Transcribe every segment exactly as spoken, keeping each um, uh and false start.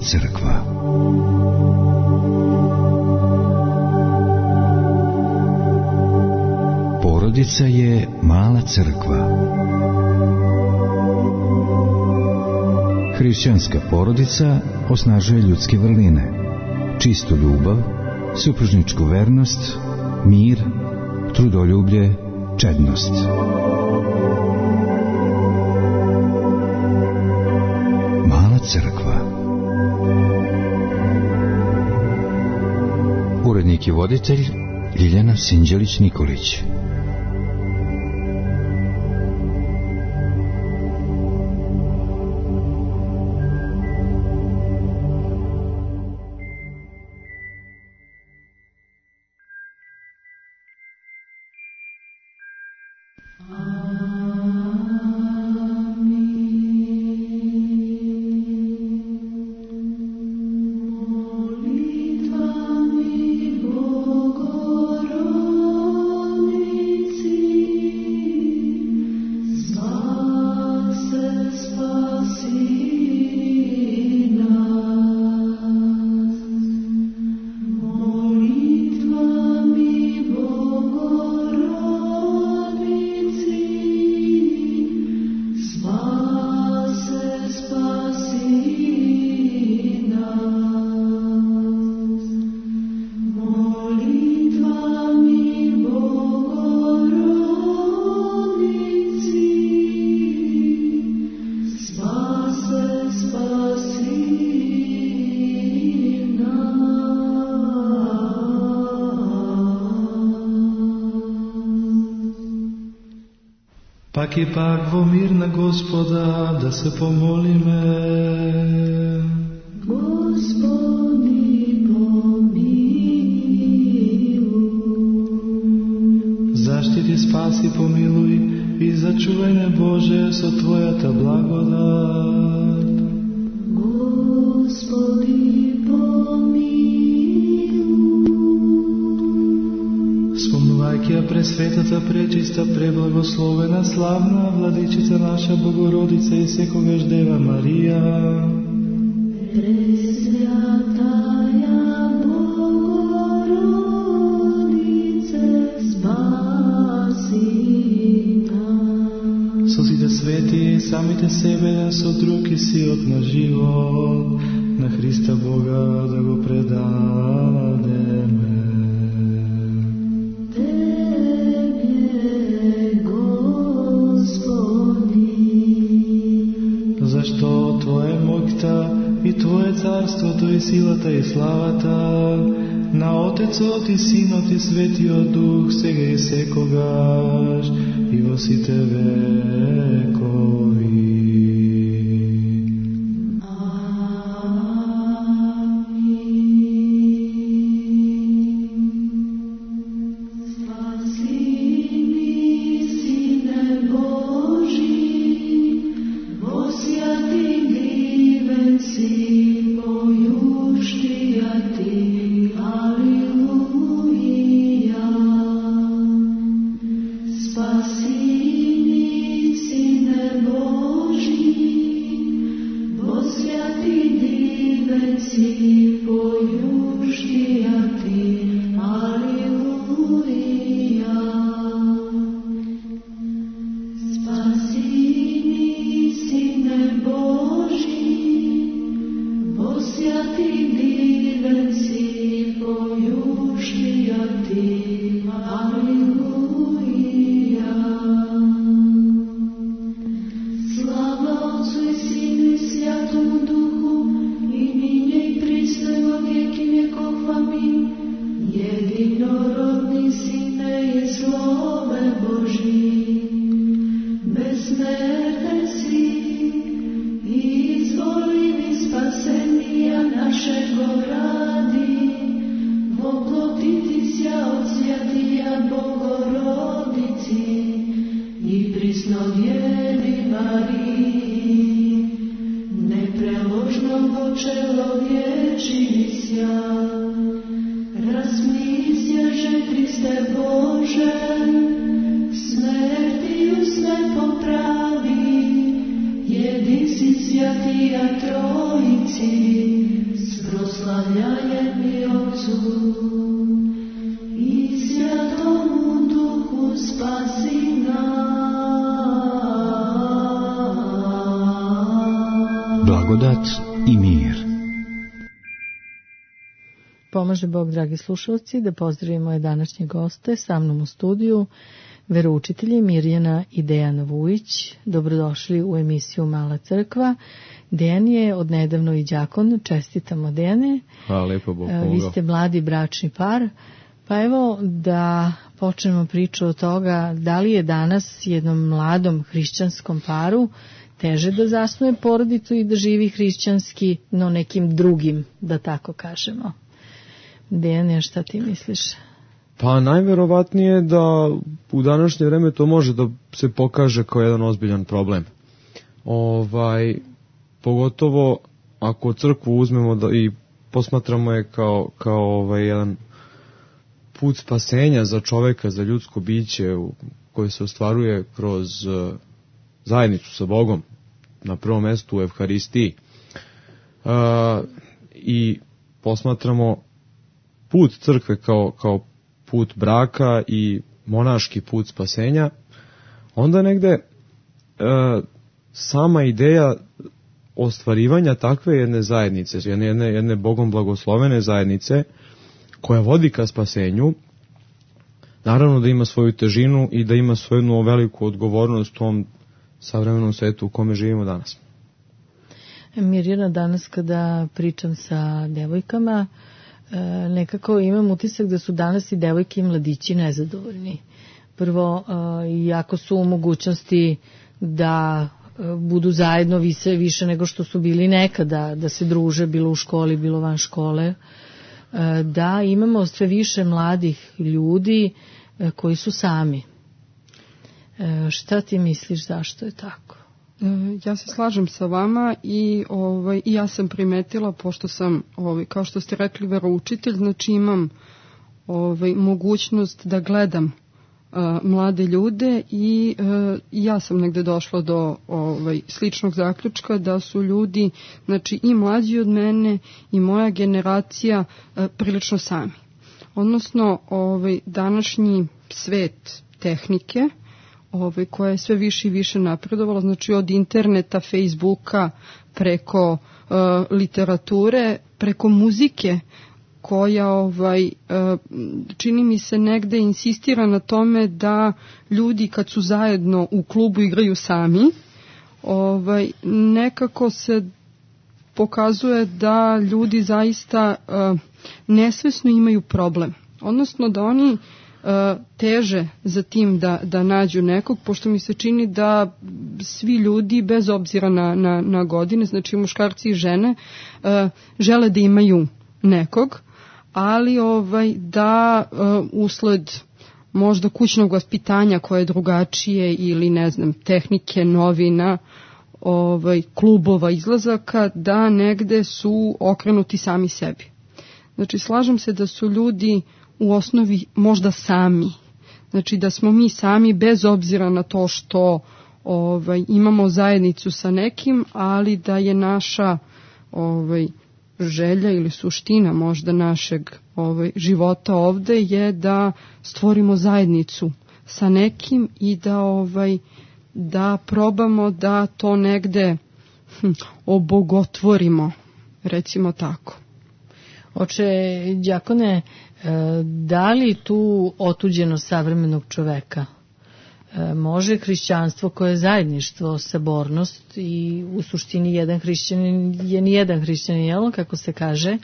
crkva. Porodica je mala crkva. Hrišćanska porodica osnažuje ljudske vrline, čistu ljubav, supružničku vernost, mir, trudoljublje, čednost. Mala crkva. Urednik i voditelj Ljiljana Sinđelić-Nikolić. Pak ipak vo mir na Gospoda da se pomolime. Gospodi pomiluj. Zaštiti, spasi, pomiluj i začuvaj me Bože so Tvoja ta blagodat. Gospodi pomiluj. Majka presvetata, prečista, preblagoslovena, slavna, vladičica naša Bogorodica i sekogaš Deva Marija. Presvjataja Bogorodice, spasi nas. Sozite sveti, samite sebe, so drugi si od na život, na Hrista Boga da go predademe. Zašto Tvoje mokta i Tvoje carstvo, to je silata i slavata, na Otecot i Sinot i Svetio Duh, сега i sekogaš i во сите векови. Jedin si svjatija trojici, proslavljajem i Otcu i Svjatomu Duhu spasi nas. Blagodat i mir. Pomaže Bog, dragi slušalci, da pozdravimo je današnje goste sa mnom u studiju, veroučitelji Mirjana i Dejan Vujić. Dobrodošli u emisiju Mala crkva. Dejan je odnedavno i đakon. Čestitamo, Dejane. Hvala lijepo, Bog pomogao. Vi ste mladi bračni par. Pa evo da počnemo priču od toga da li je danas jednom mladom hrišćanskom paru teže da zasnuje porodicu i da živi hrišćanski, no nekim drugim, da tako kažemo. Dejane, šta ti misliš? Pa najverovatnije da u današnje vreme to može da se pokaže kao jedan ozbiljan problem. Ovaj, pogotovo ako crkvu uzmemo da i posmatramo je kao, kao ovaj jedan put spasenja za čoveka, za ljudsko biće koje se ostvaruje kroz uh, zajednicu sa Bogom, na prvom mestu u Evharistiji. Uh, I posmatramo put crkve kao, kao put braka i monaški put spasenja, onda negde e, sama ideja ostvarivanja takve jedne zajednice, jedne, jedne, jedne Bogom blagoslovene zajednice, koja vodi ka spasenju, naravno da ima svoju težinu i da ima svoju jednu veliku odgovornost u tom savremenom svetu u kome živimo danas. Mirjana, danas kada pričam sa devojkama, nekako imam utisak da su danas i devojke i mladići nezadovoljni. Prvo, iako su u mogućnosti da budu zajedno više, više nego što su bili nekada, da se druže bilo u školi, bilo van škole, da imamo sve više mladih ljudi koji su sami. Šta ti misliš, zašto je tako? Ja se slažem sa vama i ovaj i ja sam primetila, pošto sam ovaj kao što ste rekli veroučitelj, znači imam ovaj mogućnost da gledam uh, mlade ljude i uh, ja sam negde došla do ovaj sličnog zaključka da su ljudi, znači i mlađi od mene i moja generacija uh, prilično sami. Odnosno ovaj današnji svet tehnike Ovaj, koja je sve više i više napredovala, znači od interneta, Facebooka, preko uh, literature, preko muzike, koja ovaj, uh, čini mi se negde insistira na tome da ljudi kad su zajedno u klubu igraju sami, ovaj, nekako se pokazuje da ljudi zaista uh, nesvesno imaju problem. Odnosno da oni teže za tim da, da nađu nekog, pošto mi se čini da svi ljudi, bez obzira na, na, na godine, znači muškarci i žene, uh, žele da imaju nekog, ali ovaj, da uh, usled možda kućnog vaspitanja koje je drugačije ili ne znam, tehnike, novina, ovaj, klubova, izlazaka, da negde su okrenuti sami sebi. Znači slažem se da su ljudi u osnovi možda sami. Znači da smo mi sami bez obzira na to što ovaj, imamo zajednicu sa nekim, ali da je naša ovaj, želja ili suština možda našeg ovaj, života ovde je da stvorimo zajednicu sa nekim i da, ovaj, da probamo da to negde hm, obogotvorimo, recimo tako. Oče đakone, da li tu otuđeno savremenog čoveka može hrišćanstvo koje je zajedništvo, sabornost i u suštini jedan hrišćanin je ni jedan hrišćanin, jel, kako se kaže,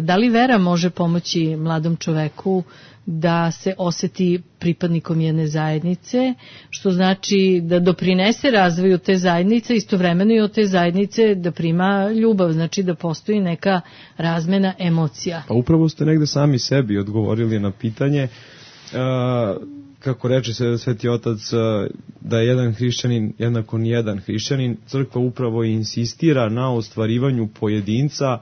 da li vera može pomoći mladom čoveku da se oseti pripadnikom jedne zajednice, što znači da doprinese razvoju te zajednice, istovremeno i od te zajednice da prima ljubav, znači da postoji neka razmena emocija. Pa upravo ste negde sami sebi odgovorili na pitanje, e, kako reče se Sveti Otac, da je jedan hrišćanin jednako ni jedan hrišćanin. Crkva upravo insistira na ostvarivanju pojedinca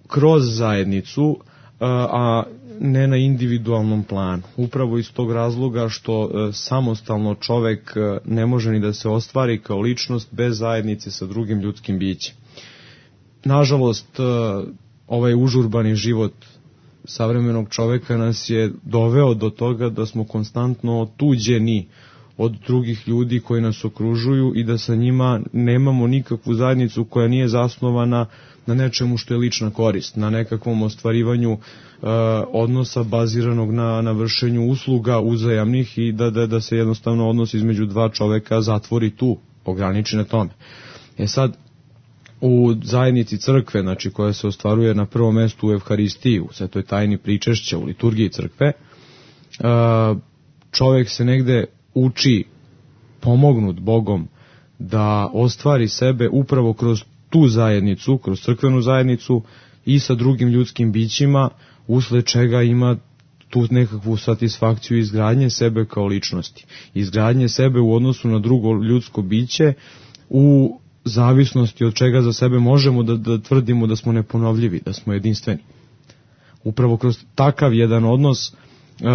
kroz zajednicu, a ne na individualnom planu. Upravo iz tog razloga što e, samostalno čovek e, ne može ni da se ostvari kao ličnost bez zajednice sa drugim ljudskim bićem. nažalost, ovaj užurbani život savremenog čoveka nas je doveo do toga da smo konstantno otuđeni od drugih ljudi koji nas okružuju i da sa njima nemamo nikakvu zajednicu koja nije zasnovana na nečemu što je lična korist, na nekakvom ostvarivanju uh, odnosa baziranog na, na vršenju usluga uzajamnih i da, da, da se jednostavno odnos između dva čoveka zatvori tu, ograniči na tome. E sad, u zajednici crkve, znači koja se ostvaruje na prvom mestu u Evharistiji, u svetoj tajni pričešća, u liturgiji crkve, uh, čovek se negde uči, pomognut Bogom, da ostvari sebe upravo kroz tu zajednicu, kroz crkvenu zajednicu i sa drugim ljudskim bićima, usled čega ima tu nekakvu satisfakciju izgradnje sebe kao ličnosti. Izgradnje sebe u odnosu na drugo ljudsko biće u zavisnosti od čega za sebe možemo da, da tvrdimo da smo neponovljivi, da smo jedinstveni. Upravo kroz takav jedan odnos Uh,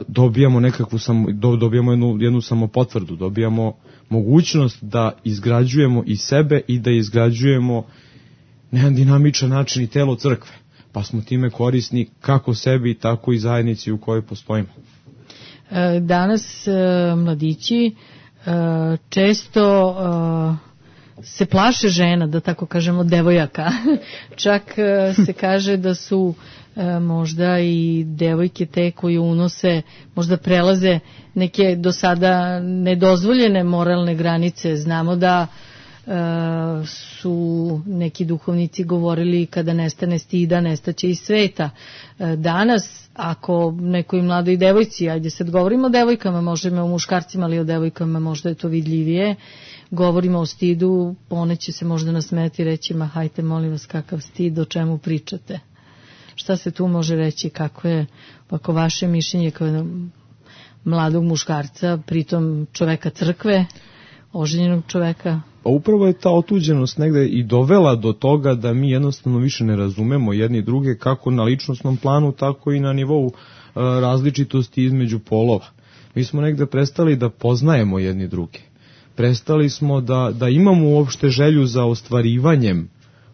dobijamo nekakvu samo, do, dobijamo jednu, jednu samopotvrdu, dobijamo mogućnost da izgrađujemo i sebe i da izgrađujemo na jedan dinamičan način i telo crkve, pa smo time korisni kako sebi, tako i zajednici u kojoj postojimo. Danas mladići često se plaše žena, da tako kažemo, devojaka. Čak se kaže da su možda i devojke te koje unose, možda prelaze neke do sada nedozvoljene moralne granice. Znamo da e, su neki duhovnici govorili kada nestane stida, nestaće i sveta. E, danas, ako nekoj mladoj devojci, ajde sad govorimo o devojkama, možemo o muškarcima, ali o devojkama možda je to vidljivije, govorimo o stidu, one će se možda nasmeti i reći, ma hajte molim vas kakav stid, o čemu pričate. Šta se tu može reći, kako je ako vaše mišljenje kao mladog muškarca, pritom čoveka crkve, oženjenog čoveka? Pa upravo je ta otuđenost negde i dovela do toga da mi jednostavno više ne razumemo jedni druge, kako na ličnosnom planu, tako i na nivou a, različitosti između polova. Mi smo negde prestali da poznajemo jedni druge. Prestali smo da, da imamo uopšte želju za ostvarivanjem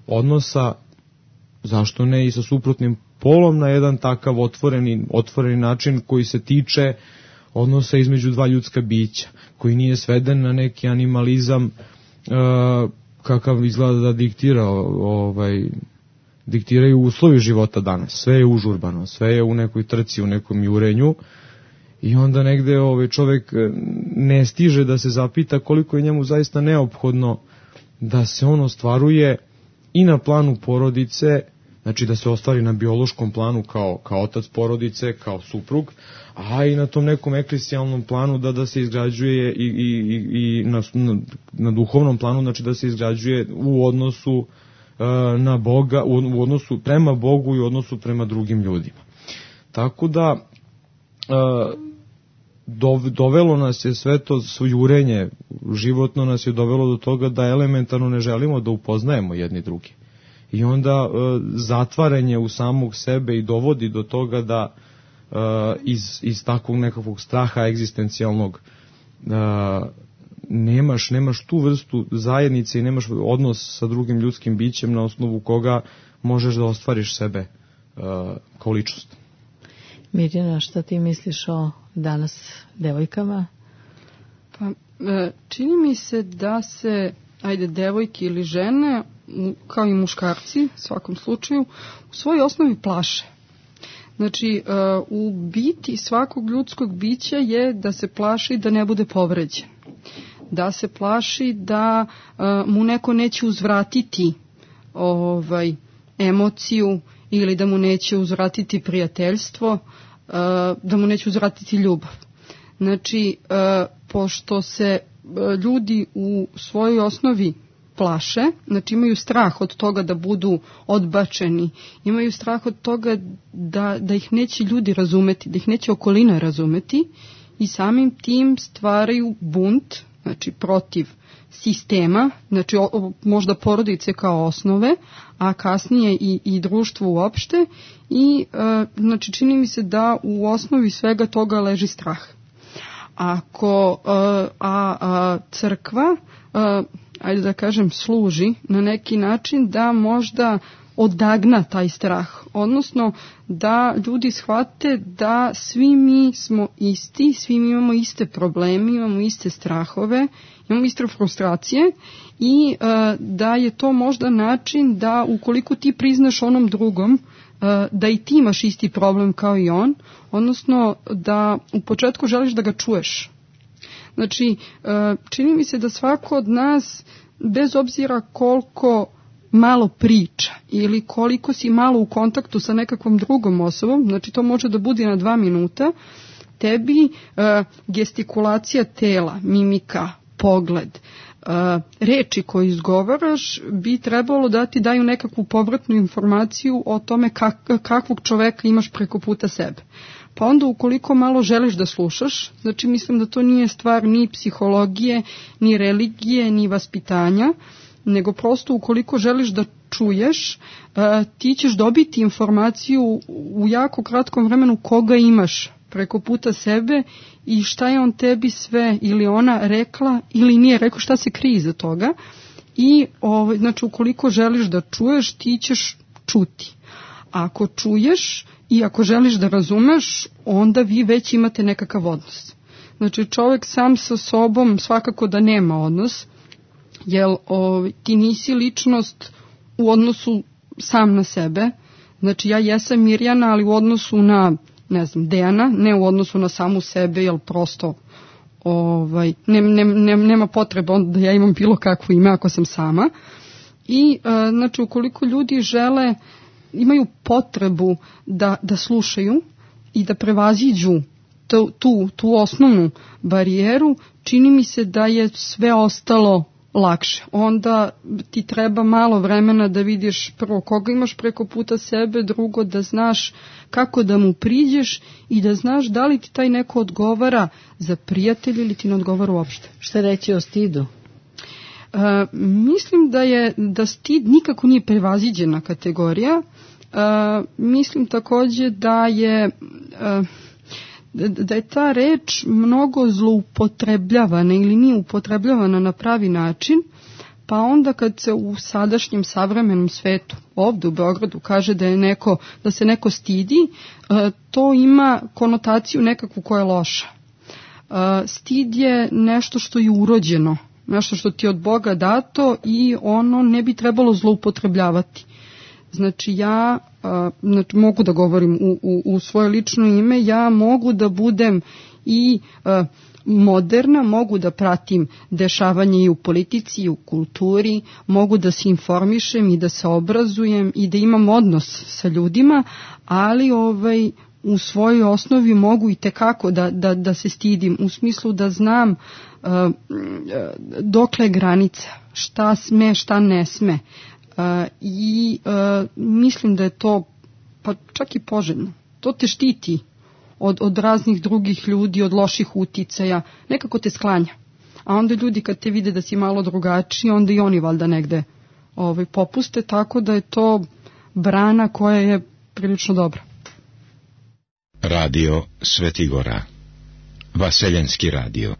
odnosa, zašto ne i sa suprotnim polom, na jedan takav otvoreni, otvoreni način koji se tiče odnosa između dva ljudska bića, koji nije sveden na neki animalizam uh, kakav izgleda da diktira, ovaj, diktiraju uslovi života danas. Sve je užurbano, sve je u nekoj trci, u nekom jurenju i onda negde ovaj, čovek ne stiže da se zapita koliko je njemu zaista neophodno da se on ostvaruje i na planu porodice, znači da se ostvari na biološkom planu kao, kao otac porodice, kao suprug, a i na tom nekom eklesijalnom planu da, da se izgrađuje i, i, i na, na, na duhovnom planu, znači da se izgrađuje u odnosu uh, na Boga, u, u odnosu prema Bogu i u odnosu prema drugim ljudima. Tako da uh, dovelo nas je sve to jurenje, životno nas je dovelo do toga da elementarno ne želimo da upoznajemo jedni drugi. I onda e, zatvaranje u samog sebe i dovodi do toga da e, iz, iz takvog nekakvog straha egzistencijalnog e, nemaš, nemaš tu vrstu zajednice i nemaš odnos sa drugim ljudskim bićem na osnovu koga možeš da ostvariš sebe e, kao ličnost. Mirjana, šta ti misliš o danas devojkama? Pa, e, čini mi se da se, ajde, devojke ili žene, kao i muškarci, u svakom slučaju, u svojoj osnovi plaše. Znači, u biti svakog ljudskog bića je da se plaši da ne bude povređen. Da se plaši da mu neko neće uzvratiti ovaj, emociju ili da mu neće uzvratiti prijateljstvo, da mu neće uzvratiti ljubav. Znači, pošto se ljudi u svojoj osnovi plaše, znači imaju strah od toga da budu odbačeni, imaju strah od toga da, da ih neće ljudi razumeti, da ih neće okolina razumeti i samim tim stvaraju bunt, znači protiv sistema, znači o, možda porodice kao osnove, a kasnije i, i društvo uopšte i e, znači čini mi se da u osnovi svega toga leži strah. Ako, a, a crkva ajde da kažem, služi na neki način da možda odagna taj strah, odnosno da ljudi shvate da svi mi smo isti, svi mi imamo iste probleme, imamo iste strahove, imamo iste frustracije i uh, da je to možda način da ukoliko ti priznaš onom drugom uh, da i ti imaš isti problem kao i on, odnosno da u početku želiš da ga čuješ. Znači, uh, čini mi se da svako od nas, bez obzira koliko malo priča ili koliko si malo u kontaktu sa nekakvom drugom osobom, znači to može da bude na dva minuta, tebi uh, gestikulacija tela, mimika, pogled, uh, reči koje izgovaraš bi trebalo da ti daju nekakvu povratnu informaciju o tome kak, kakvog čoveka imaš preko puta sebe. Pa onda ukoliko malo želiš da slušaš, znači mislim da to nije stvar ni psihologije, ni religije, ni vaspitanja, nego prosto ukoliko želiš da čuješ, ti ćeš dobiti informaciju u jako kratkom vremenu koga imaš preko puta sebe i šta je on tebi sve ili ona rekla ili nije rekao, šta se krije iza toga. I ovaj, znači ukoliko želiš da čuješ, ti ćeš čuti. Ako čuješ i ako želiš da razumeš, onda vi već imate nekakav odnos. Znači čovjek sam sa sobom svakako da nema odnos, jer o, ti nisi ličnost u odnosu sam na sebe. Znači ja jesam Mirjana, ali u odnosu na, ne znam, Dejana, ne u odnosu na samu sebe, jer prosto ovaj, ne, ne, ne, nema potreba da ja imam bilo kakvo ime ako sam sama. I e, znači ukoliko ljudi žele, imaju potrebu da, da slušaju i da prevaziđu tu, tu, tu osnovnu barijeru, čini mi se da je sve ostalo lakše. Onda ti treba malo vremena da vidiš prvo koga imaš preko puta sebe, drugo da znaš kako da mu priđeš i da znaš da li ti taj neko odgovara za prijatelj ili ti ne odgovara uopšte. Šta reći o stidu? Uh, mislim da je da stid nikako nije prevaziđena kategorija. Uh, mislim takođe da je uh, da je ta reč mnogo zloupotrebljavana ili nije upotrebljavana na pravi način, pa onda kad se u sadašnjem savremenom svetu, ovdje u Beogradu, kaže da je neko, da se neko stidi, to ima konotaciju nekakvu koja je loša. Stid je nešto što je urođeno, nešto što ti je od Boga dato i ono ne bi trebalo zloupotrebljavati. Znači ja znači, mogu da govorim u, u, u svoje lično ime, ja mogu da budem i uh, moderna, mogu da pratim dešavanje i u politici i u kulturi, mogu da se informišem i da se obrazujem i da imam odnos sa ljudima, ali ovaj, u svojoj osnovi mogu i tekako da, da, da se stidim, u smislu da znam uh, dokle je granica, šta sme, šta ne sme. Uh, i uh, mislim da je to pa čak i poželjno. To te štiti od, od raznih drugih ljudi, od loših uticaja, nekako te sklanja. A onda ljudi kad te vide da si malo drugačiji, onda i oni valjda negde ovaj, popuste, tako da je to brana koja je prilično dobra. Radio Svetigora, Vaseljenski radio.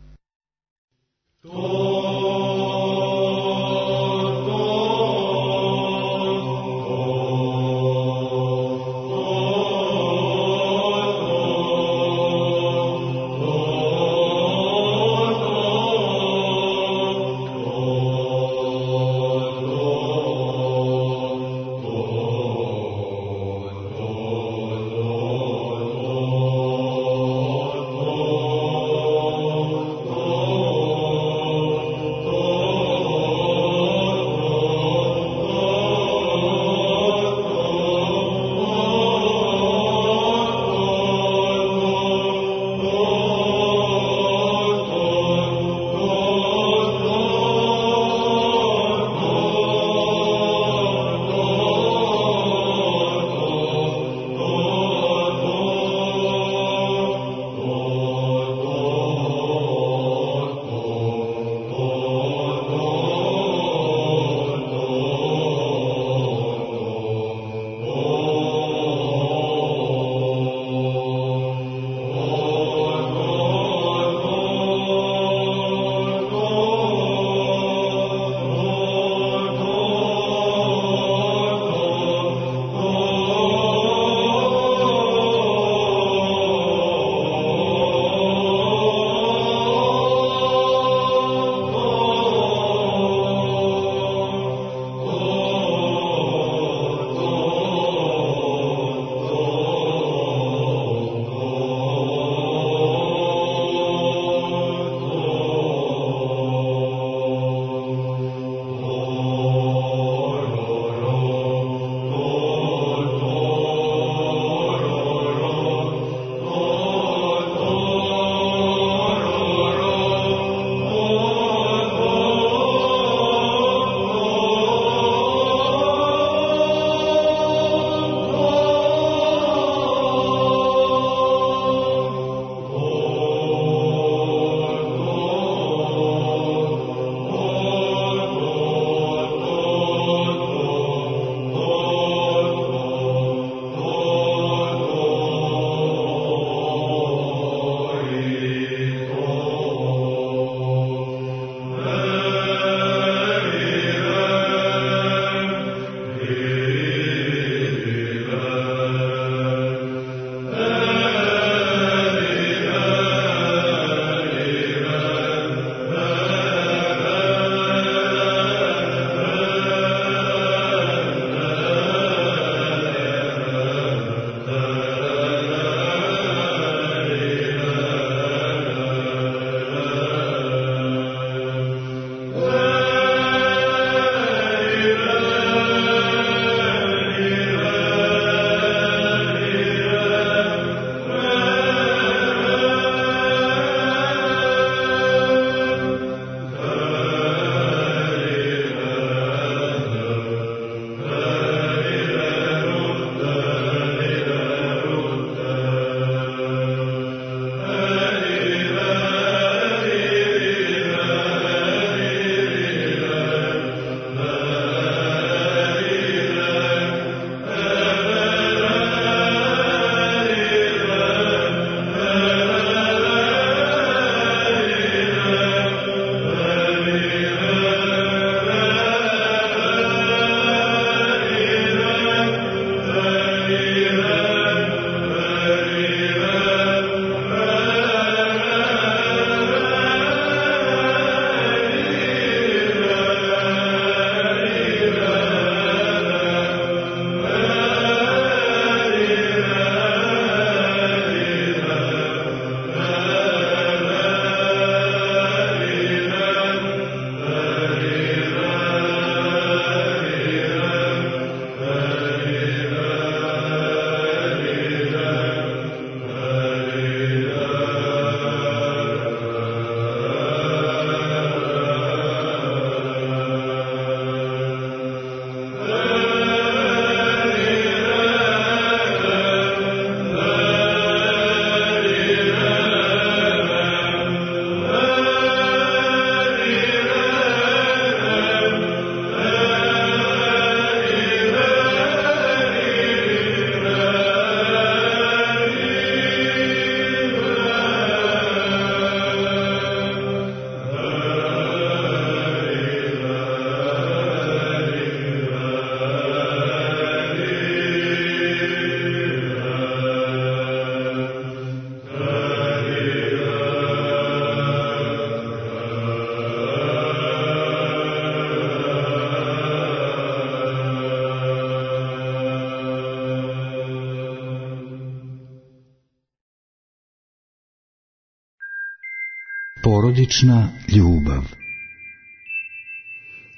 Porodična ljubav.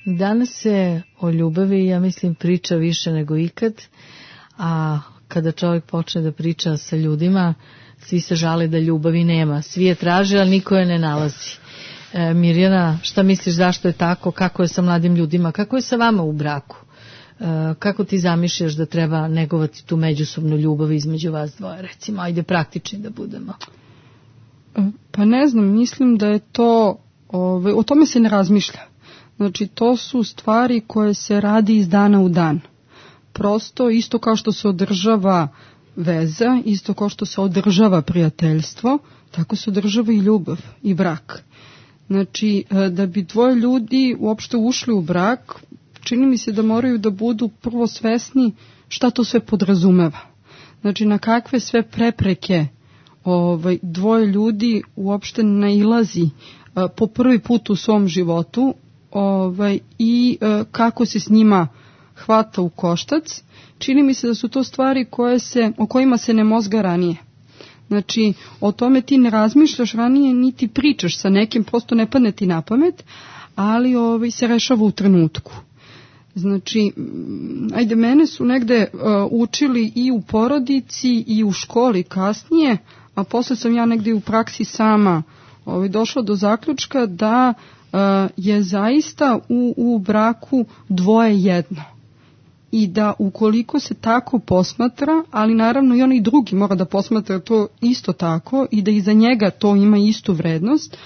Danas se o ljubavi, ja mislim, priča više nego ikad, a kada čovjek počne da priča sa ljudima, svi se žale da ljubavi nema. Svi je traže, ali niko je ne nalazi. E, Mirjana, šta misliš, zašto je tako? Kako je sa mladim ljudima? Kako je sa vama u braku? E, kako ti zamišljaš da treba negovati tu međusobnu ljubav između vas dvoje? Recimo, ajde praktični da budemo. Pa ne znam, mislim da je to, ove, o tome se ne razmišlja. Znači, to su stvari koje se radi iz dana u dan. Prosto, isto kao što se održava veza, isto kao što se održava prijateljstvo, tako se održava i ljubav i brak. Znači, da bi dvoje ljudi uopšte ušli u brak, čini mi se da moraju da budu prvo svesni šta to sve podrazumeva. Znači, na kakve sve prepreke ovaj, dvoje ljudi uopšte nailazi a, po prvi put u svom životu, ovaj, i a, kako se s njima hvata u koštac. Čini mi se da su to stvari koje se, o kojima se ne mozga ranije. Znači, o tome ti ne razmišljaš ranije, niti pričaš sa nekim, prosto ne padne ti na pamet, ali ovaj, se rešava u trenutku. Znači, ajde, mene su negde uh, učili i u porodici i u školi kasnije, a posle sam ja negde u praksi sama ovaj, došla do zaključka da uh, je zaista u, u braku dvoje jedno. I da ukoliko se tako posmatra, ali naravno i onaj drugi mora da posmatra to isto tako i da iza njega to ima istu vrednost,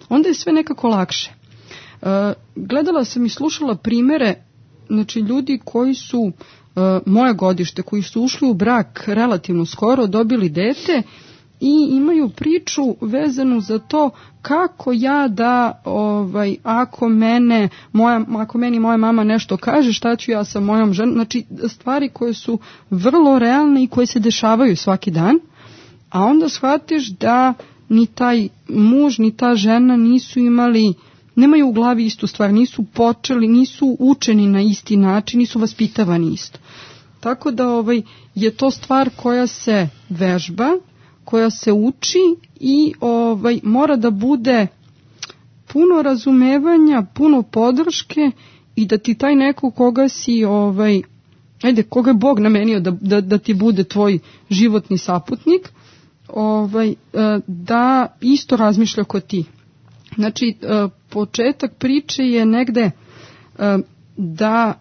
onda je sve nekako lakše. Uh, gledala sam i slušala primere, znači ljudi koji su uh, moje godište, koji su ušli u brak relativno skoro, dobili dete i imaju priču vezanu za to kako ja da, ovaj, ako mene, moja, ako meni moja mama nešto kaže, šta ću ja sa mojom ženom, znači stvari koje su vrlo realne i koje se dešavaju svaki dan, a onda shvatiš da ni taj muž, ni ta žena nisu imali, nemaju u glavi istu stvar, nisu počeli, nisu učeni na isti način, nisu vaspitavani isto. Tako da ovaj, je to stvar koja se vežba, koja se uči i ovaj, mora da bude puno razumevanja, puno podrške i da ti taj neko koga si, ovaj, ajde, koga je Bog namenio da, da, da ti bude tvoj životni saputnik, ovaj, da isto razmišlja kao ti. Znači, početak priče je negde da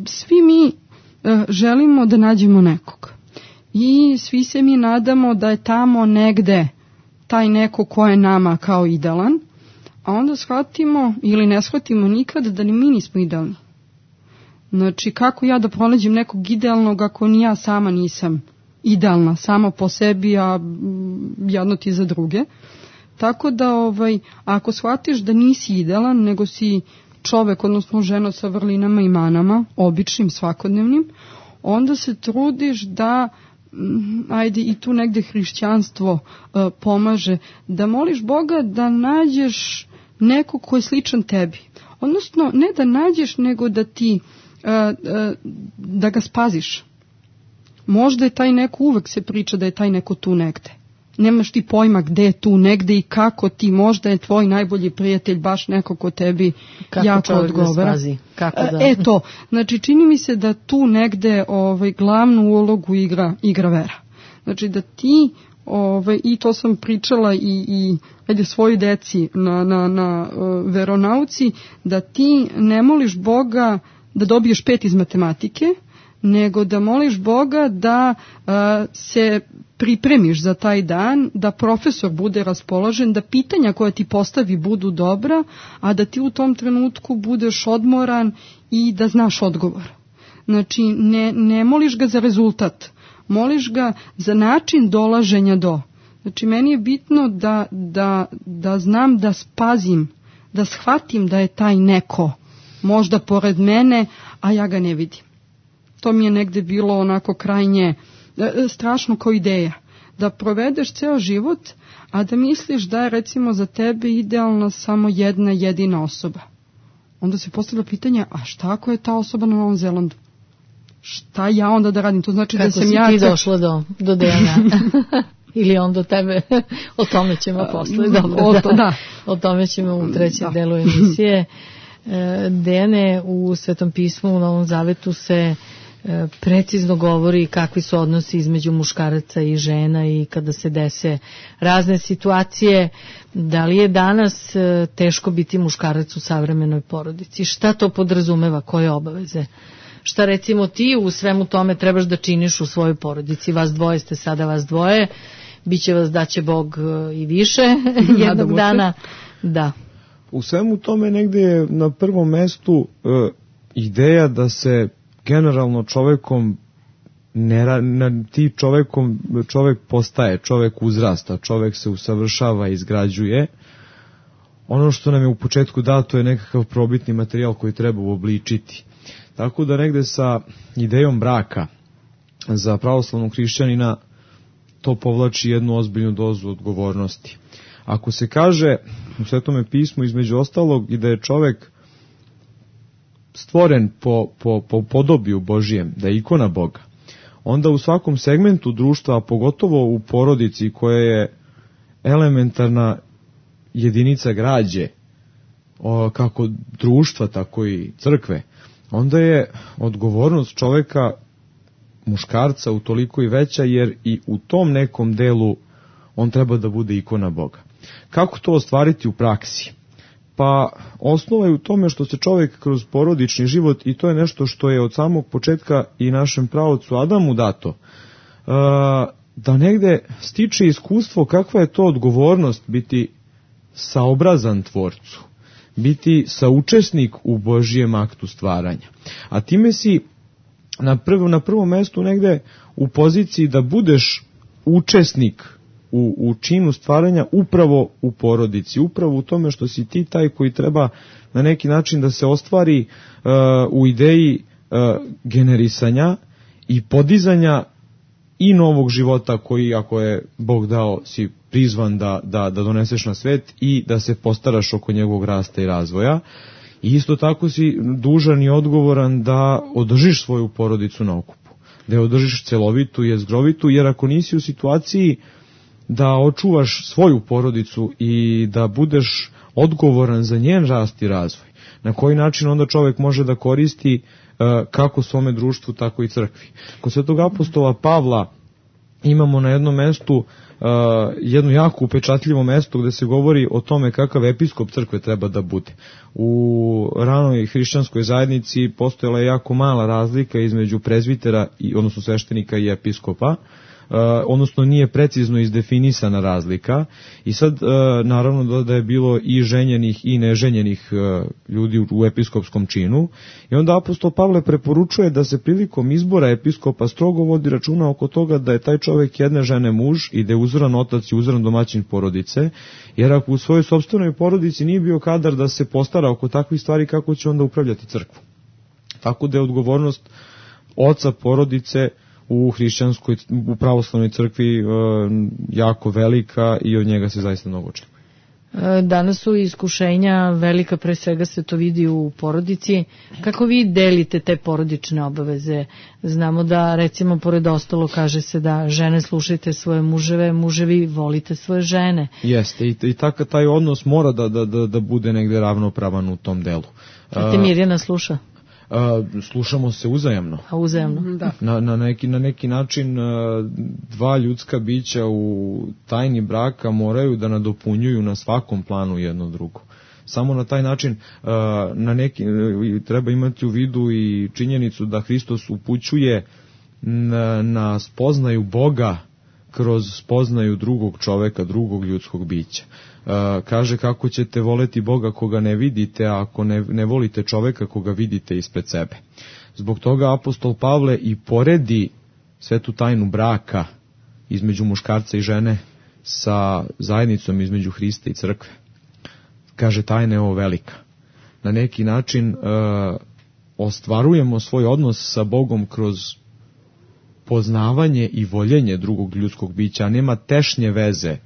svi mi želimo da nađemo nekog. I svi se mi nadamo da je tamo negde taj neko ko je nama kao idealan, a onda shvatimo ili ne shvatimo nikad da ni mi nismo idealni. Znači, kako ja da pronađem nekog idealnog ako ni ja sama nisam idealna, sama po sebi, a jedno ti za druge. Tako da, ovaj, ako shvatiš da nisi idealan, nego si čovek, odnosno žena sa vrlinama i manama, običnim, svakodnevnim, onda se trudiš da, ajde, i tu negde hrišćanstvo uh, pomaže, da moliš Boga da nađeš nekog ko je sličan tebi. Odnosno, ne da nađeš, nego da ti, uh, uh, da ga spaziš. Možda je taj neko, uvek se priča da je taj neko tu negde. Nemaš ti pojma gde je tu negde i kako ti, možda je tvoj najbolji prijatelj baš neko ko tebi kako jako odgovara. Da kako da... E to, znači čini mi se da tu negde ovaj, glavnu ulogu igra, igra vera. Znači da ti, ovaj, i to sam pričala i, i ajde, svoji deci na, na, na uh, veronauci, da ti ne moliš Boga da dobiješ pet iz matematike, nego da moliš Boga da uh, se pripremiš za taj dan, da profesor bude raspoložen, da pitanja koja ti postavi budu dobra, a da ti u tom trenutku budeš odmoran i da znaš odgovor. Znači, ne, ne moliš ga za rezultat, moliš ga za način dolaženja do. Znači, meni je bitno da, da, da znam da spazim, da shvatim da je taj neko možda pored mene, a ja ga ne vidim. To mi je negde bilo onako krajnje strašno kao ideja. Da provedeš ceo život, a da misliš da je recimo za tebe idealna samo jedna jedina osoba. Onda se postavlja pitanje, a šta ako je ta osoba na Novom Zelandu? Šta ja onda da radim? To znači kako da sam ja... Kako si ti došla do, do D N A? ili on do tebe, o tome ćemo posle, dobro, o, da, to, da. o tome ćemo u trećem da. delu emisije. Dejane, u Svetom pismu, u Novom Zavetu se precizno govori kakvi su odnosi između muškaraca i žena i kada se dese razne situacije. Da li je danas teško biti muškarac u savremenoj porodici? Šta to podrazumeva? Koje obaveze? Šta recimo ti u svemu tome trebaš da činiš u svojoj porodici? Vas dvoje ste sada, vas dvoje. Biće vas da će Bog i više jednog dana. Da. U svemu tome negde je na prvom mestu e, ideja da se generalno čovekom ne, ne, ti čovekom čovek postaje, čovek uzrasta, čovek se usavršava, izgrađuje. Ono što nam je u početku dato je nekakav probitni materijal koji treba uobličiti. Tako da negde sa idejom braka za pravoslavnog hrišćanina to povlači jednu ozbiljnu dozu odgovornosti. Ako se kaže u Svetome pismu između ostalog i da je čovek stvoren po, po, po podobiju Božijem, da je ikona Boga, onda u svakom segmentu društva, a pogotovo u porodici koja je elementarna jedinica građe, o, kako društva, tako i crkve, onda je odgovornost čoveka, muškarca, utoliko i veća, jer i u tom nekom delu on treba da bude ikona Boga. Kako to ostvariti u praksi? Pa osnova je u tome što se čovjek kroz porodični život, i to je nešto što je od samog početka i našem praocu Adamu dato, da negde stiče iskustvo kakva je to odgovornost biti saobrazan Tvorcu, biti saučesnik u Božijem aktu stvaranja. A time si na, prv, na prvom mestu negde u poziciji da budeš učesnik U, u činu stvaranja upravo u porodici, upravo u tome što si ti taj koji treba na neki način da se ostvari uh, u ideji uh, generisanja i podizanja i novog života koji, ako je Bog dao, si prizvan da, da, da doneseš na svet i da se postaraš oko njegovog rasta i razvoja. I isto tako si dužan i odgovoran da održiš svoju porodicu na okupu, da je održiš celovitu i jezgrovitu, jer ako nisi u situaciji da očuvaš svoju porodicu i da budeš odgovoran za njen rast i razvoj, na koji način onda čovjek može da koristi uh, kako svome društvu, tako i crkvi. Kod Svetog apostola Pavla imamo na jednom mestu uh, jedno jako upečatljivo mesto gde se govori o tome kakav episkop crkve treba da bude. U ranoj hrišćanskoj zajednici postojala je jako mala razlika između prezbitera, i, odnosno sveštenika i episkopa, Uh, odnosno nije precizno izdefinisana razlika i sad uh, naravno da, da je bilo i ženjenih i neženjenih uh, ljudi u, u episkopskom činu i onda apostol Pavle preporučuje da se prilikom izbora episkopa strogo vodi računa oko toga da je taj čovjek jedne žene muž i da je uzoran otac i uzoran domaćin porodice, jer ako u svojoj sopstvenoj porodici nije bio kadar da se postara oko takvih stvari, kako će onda upravljati crkvu. Tako da je odgovornost oca porodice u hrišćanskoj, u pravoslavnoj crkvi e, jako velika i od njega se zaista mnogo očekuje. Danas su iskušenja velika, pre svega se to vidi u porodici. Kako vi delite te porodične obaveze? Znamo da, recimo, pored ostalo kaže se da žene slušajte svoje muževe, muževi volite svoje žene. Jeste, i, i tako taj odnos mora da, da, da, da bude negde ravnopravan u tom delu. A te Mirjana sluša? Uh, slušamo se uzajamno. A uzajamno, da. Na, na, neki, na neki način uh, dva ljudska bića u tajni braka moraju da nadopunjuju na svakom planu jedno drugo. Samo na taj način uh, na neki, uh, treba imati u vidu i činjenicu da Hristos upućuje na, na spoznaju Boga kroz spoznaju drugog čoveka, drugog ljudskog bića. Uh, kaže kako ćete voleti Boga koga ne vidite, a ako ne, ne volite čoveka koga vidite ispred sebe. Zbog toga apostol Pavle i poredi svetu tajnu braka između muškarca i žene sa zajednicom između Hrista i crkve. Kaže tajna je ovo velika. Na neki način uh, ostvarujemo svoj odnos sa Bogom kroz poznavanje i voljenje drugog ljudskog bića, a nema tešnje veze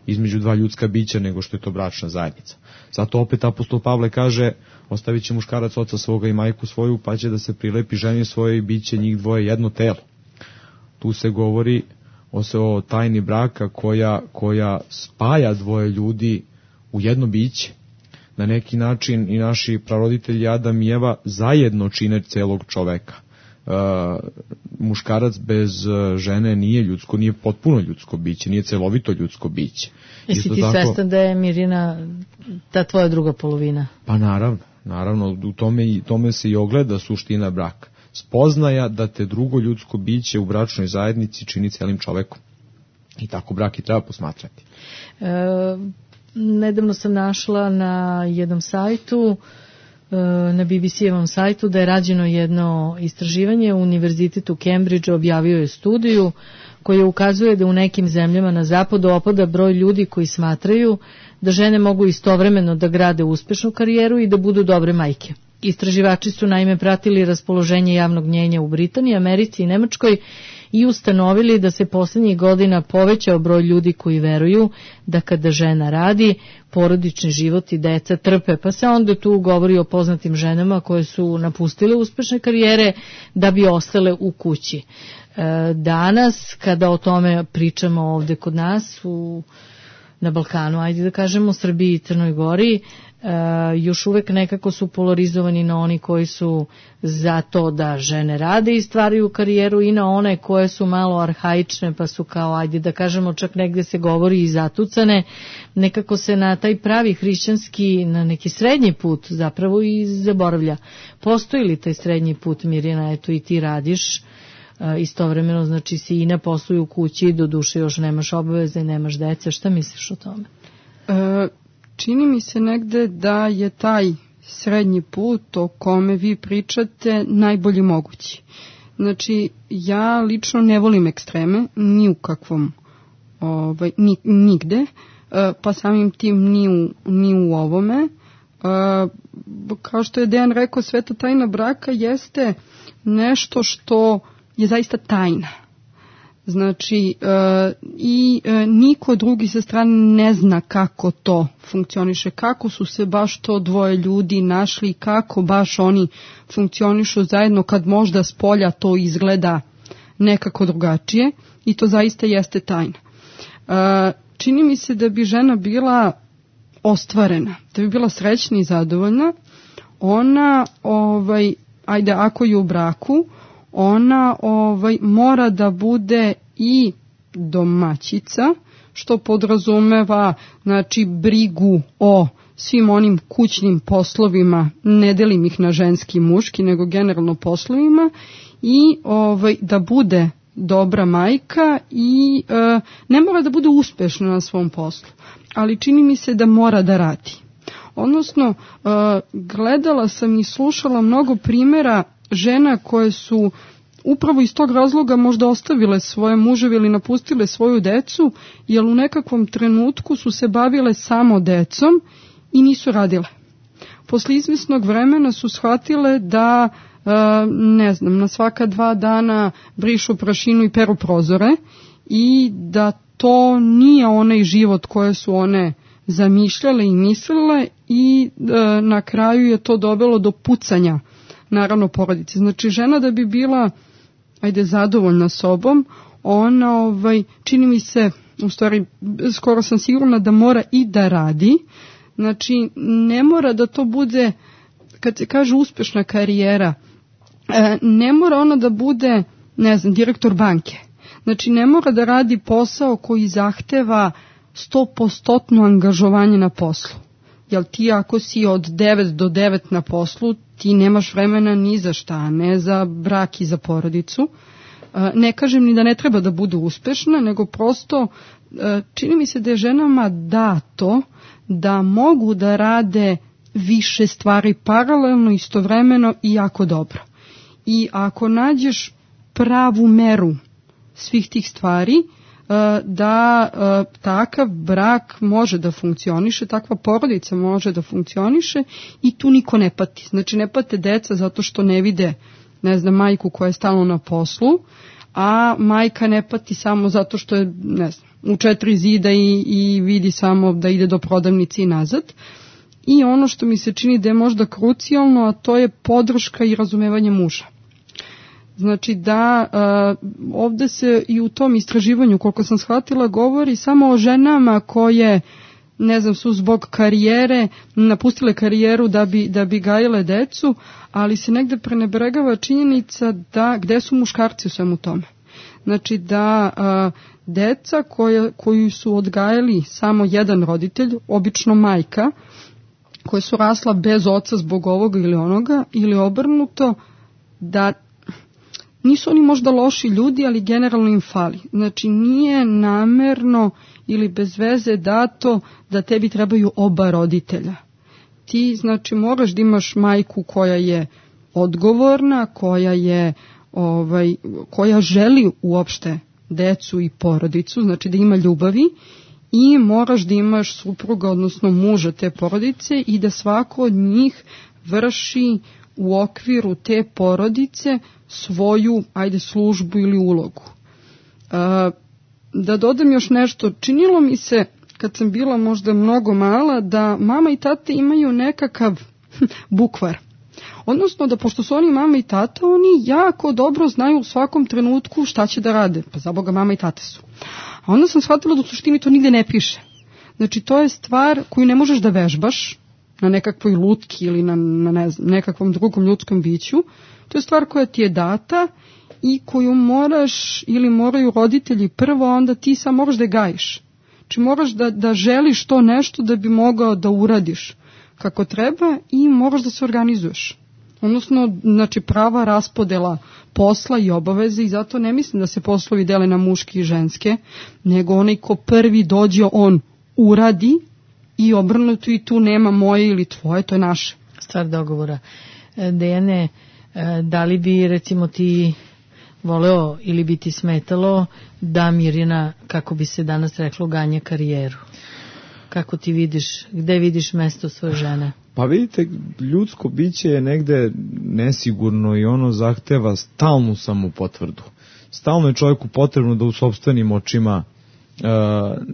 između dva ljudska bića nego što je to bračna zajednica. Zato opet apostol Pavle kaže, ostavit će muškarac oca svoga i majku svoju, pa će da se prilepi ženi svoje i bit će njih dvoje jedno telo. Tu se govori o se o tajni braka koja, koja spaja dvoje ljudi u jedno biće. Na neki način i naši praroditelji Adam i Eva zajedno čine celog čoveka. Uh, muškarac bez uh, žene nije ljudsko, nije potpuno ljudsko biće, nije celovito ljudsko biće. Jesi ti tako svestan da je Mirjana ta tvoja druga polovina? Pa naravno, naravno, u tome, i, tome se i ogleda suština braka. Spoznaja da te drugo ljudsko biće u bračnoj zajednici čini celim čovekom. I tako brak i treba posmatrati. E, nedavno sam našla na jednom sajtu, na B B C-evom sajtu, da je rađeno jedno istraživanje. Univerzitet u Cambridge objavio je studiju koja ukazuje da u nekim zemljama na zapadu opada broj ljudi koji smatraju da žene mogu istovremeno da grade uspešnu karijeru i da budu dobre majke. Istraživači su naime pratili raspoloženje javnog mnjenja u Britaniji, Americi i Nemačkoj i ustanovili da se poslednjih godina povećao broj ljudi koji veruju da kada žena radi, porodični život i deca trpe. Pa se onda tu govori o poznatim ženama koje su napustile uspešne karijere da bi ostale u kući. Danas, kada o tome pričamo ovde kod nas u, na Balkanu, ajde da kažemo, Srbiji i Crnoj Gori, Uh, još uvek nekako su polarizovani na oni koji su za to da žene rade i stvaraju karijeru i na one koje su malo arhaične pa su kao, ajde da kažemo, čak negde se govori i zatucane. Nekako se na taj pravi hrišćanski, na neki srednji put zapravo i zaboravlja. Postoji li taj srednji put, Mirjana? Eto i ti radiš uh, istovremeno, znači si i na poslu i u kući, do duše još nemaš obaveze, nemaš dece. Šta misliš o tome? Uh... Čini mi se negde da je taj srednji put o kome vi pričate najbolji mogući. Znači, ja lično ne volim ekstreme, ni u kakvom, ovaj, ni, nigde, pa samim tim ni u, ni u ovome. Kao što je Dejan rekao, sveta tajna braka jeste nešto što je zaista tajna. Znači, e, i e, niko drugi sa strane ne zna kako to funkcioniše, kako su se baš to dvoje ljudi našli, kako baš oni funkcionišu zajedno kad možda s polja to izgleda nekako drugačije i to zaista jeste tajna. E, čini mi se da bi žena bila ostvarena, da bi bila srećna i zadovoljna, ona, ovaj, ajde, ako je u braku, ona ovaj mora da bude i domaćica, što podrazumeva, znači, brigu o svim onim kućnim poslovima, ne delim ih na ženski i muški, nego generalno poslovima, i ovaj da bude dobra majka i e, ne mora da bude uspešna na svom poslu, ali čini mi se da mora da radi. Odnosno, e, gledala sam i slušala mnogo primjera žena koje su upravo iz tog razloga možda ostavile svoje muževe ili napustile svoju decu, jer u nekakvom trenutku su se bavile samo decom i nisu radile. Posle izvesnog vremena su shvatile da, ne znam, na svaka dva dana brišu prašinu i peru prozore i da to nije onaj život koje su one zamišljale i mislile i na kraju je to dovelo do pucanja, naravno, porodice. Znači, žena da bi bila, ajde, zadovoljna sobom, ona, ovaj, čini mi se, u stvari, skoro sam sigurna da mora i da radi. Znači, ne mora da to bude, kad se kaže uspešna karijera, ne mora ona da bude, ne znam, direktor banke. Znači, ne mora da radi posao koji zahteva sto posto angažovanje na poslu. Jel ti ako si od devet do devet na poslu, ti nemaš vremena ni za šta, ne za brak i za porodicu. Ne kažem ni da ne treba da bude uspešna, nego prosto čini mi se da je ženama dato da mogu da rade više stvari paralelno, istovremeno i jako dobro. I ako nađeš pravu meru svih tih stvari, da takav brak može da funkcioniše, takva porodica može da funkcioniše i tu niko ne pati. Znači, ne pate deca zato što ne vide, ne znam, majku koja je stalno na poslu, a majka ne pati samo zato što je, ne znam, u četiri zida i, i vidi samo da ide do prodavnice i nazad. I ono što mi se čini da je možda krucijalno, a to je podrška i razumevanje muža. Znači da uh, ovde se i u tom istraživanju, koliko sam shvatila, govori samo o ženama koje, ne znam, su zbog karijere napustile karijeru da bi, da bi gajile decu, ali se negde prenebregava činjenica da gde su muškarci u svemu tome. Znači da a, deca koje, koju su odgajali samo jedan roditelj, obično majka, koje su rasla bez oca zbog ovoga ili onoga, ili obrnuto, da nisu oni možda loši ljudi, ali generalno im fali. Znači nije namerno ili bez veze dato da tebi trebaju oba roditelja. Ti znači moraš da imaš majku koja je odgovorna, koja je ovaj koja želi uopšte decu i porodicu, znači da ima ljubavi, i moraš da imaš supruga, odnosno muža te porodice, i da svako od njih vrši u okviru te porodice svoju, ajde, službu ili ulogu. A, da dodam još nešto, činilo mi se, kad sam bila možda mnogo mala, da mama i tata imaju nekakav bukvar. Odnosno da pošto su oni mama i tata, oni jako dobro znaju u svakom trenutku šta će da rade. Pa za Boga, mama i tata su. A onda sam shvatila da u suštini to nigde ne piše. Znači to je stvar koju ne možeš da vežbaš na nekakvoj lutki ili na, na ne znam, nekakvom drugom ljudskom biću. To je stvar koja ti je data i koju moraš ili moraju roditelji prvo, onda ti sam moraš da je gajiš. Znači moraš da, da želiš to nešto da bi mogao da uradiš kako treba i moraš da se organizuješ. Odnosno, znači prava raspodela posla i obaveze, i zato ne mislim da se poslovi dele na muške i ženske, nego onaj ko prvi dođe, on uradi, i obrnuto, i tu nema moje ili tvoje, to je naše. Stvar dogovora. Dejane, da li bi recimo ti voleo ili bi ti smetalo da Mirjana, kako bi se danas reklo, ganja karijeru? Kako ti vidiš, gde vidiš mesto svoje žene? Pa vidite, ljudsko biće je negde nesigurno i ono zahteva stalnu samopotvrdu. Stalno je čovjeku potrebno da u sopstvenim očima uh,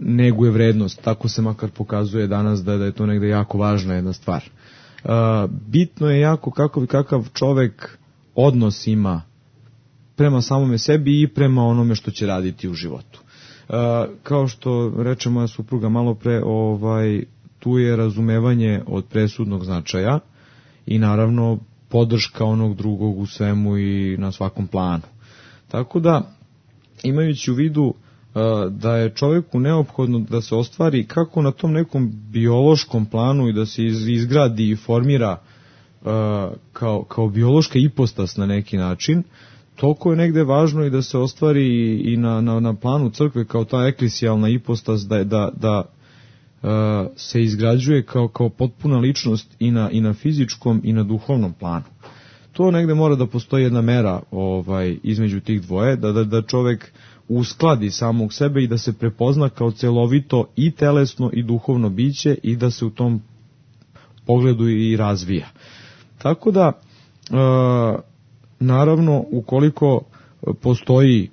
neguje vrednost. Tako se makar pokazuje danas da, da je to negde jako važna jedna stvar. Uh, bitno je jako kako, kakav čovjek odnos ima prema samome sebi i prema onome što će raditi u životu. Uh, kao što reče moja supruga malo pre, ovaj, tu je razumevanje od presudnog značaja i naravno podrška onog drugog u svemu i na svakom planu. Tako da, imajući u vidu uh, da je čovjeku neophodno da se ostvari kako na tom nekom biološkom planu i da se iz, izgradi i formira uh, kao, kao biološka ipostas na neki način, toliko je negde važno i da se ostvari i na, na, na planu crkve kao ta eklesijalna ipostas, da, da, da uh, se izgrađuje kao, kao potpuna ličnost i na, i na fizičkom i na duhovnom planu. To negde mora da postoji jedna mera ovaj, između tih dvoje, da, da, da čovek uskladi samog sebe i da se prepozna kao celovito i telesno i duhovno biće i da se u tom pogledu i razvija. Tako da, uh, naravno, ukoliko postoji